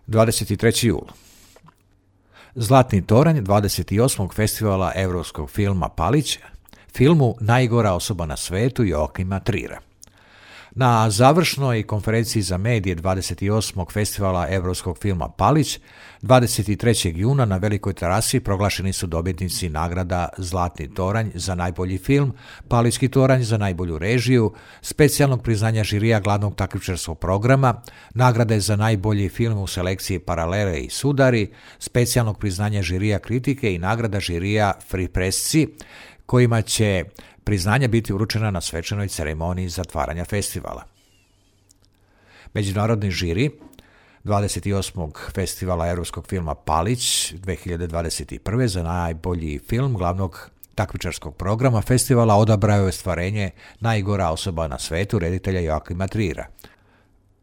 23. jul. Zlatni toranj 28. festivala europskog filma Palić, filmu Najgora osoba na svetu Joakima Trira. Na završnoj konferenciji za medije 28. festivala europskog filma Palić 23. juna na Velikoj terasi proglašeni su dobitnici nagrada Zlatni toranj za najbolji film, Palićki toranj za najbolju režiju, specijalnog priznanja žirija glavnog takmičarskog programa, nagrade za najbolji film u selekciji Paralele i Sudari, specijalnog priznanja žirija kritike i nagrada žirija Free Pressci, kojima će priznanja biti uručena na svečanoj ceremoniji zatvaranja festivala. Međunarodni žiri 28. festivala europskog filma Palić 2021. za najbolji film glavnog takmičarskog programa festivala odabrao je ostvarenje Najgora osoba na svetu reditelja Joakima Trira.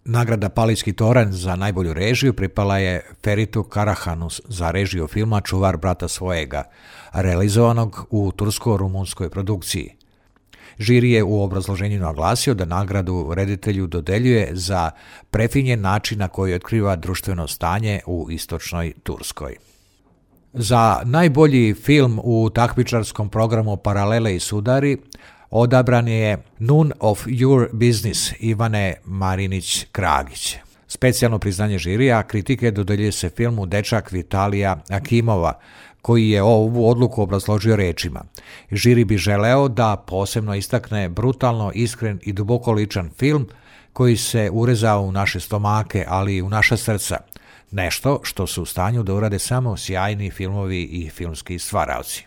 Nagrada Palićki toranj za najbolju režiju pripala je Feritu Karahanu za režiju filma Čuvar brata svojega, realizovanog u tursko-rumunskoj produkciji. Žiri je u obrazloženju naglasio da nagradu reditelju dodeljuje za prefinjen način na koji otkriva društveno stanje u istočnoj Turskoj. Za najbolji film u takmičarskom programu Paralele i Sudari odabran je None of Your Business Ivane Marinić-Kragić. Specijalno priznanje žirija kritike dodeljuje se filmu Dečak Vitalija Akimova, koji je ovu odluku obrazložio rečima. Žiri bi želeo da posebno istakne brutalno, iskren i duboko ličan film koji se urezao u naše stomake, ali i u naša srca. Nešto što su u stanju da urade samo sjajni filmovi i filmski stvaraoci.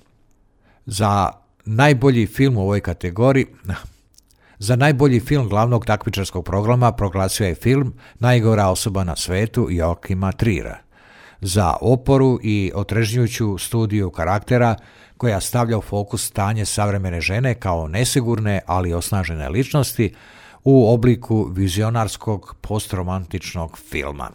Za najbolji film u ovoj kategoriji, za najbolji film glavnog takmičarskog programa proglasio je film Najgora osoba na svetu Joakima Trira. Za oporu i otrežnjujuću studiju karaktera koja stavlja u fokus stanje savremene žene kao nesigurne, ali osnažene ličnosti u obliku vizionarskog postromantičnog filma.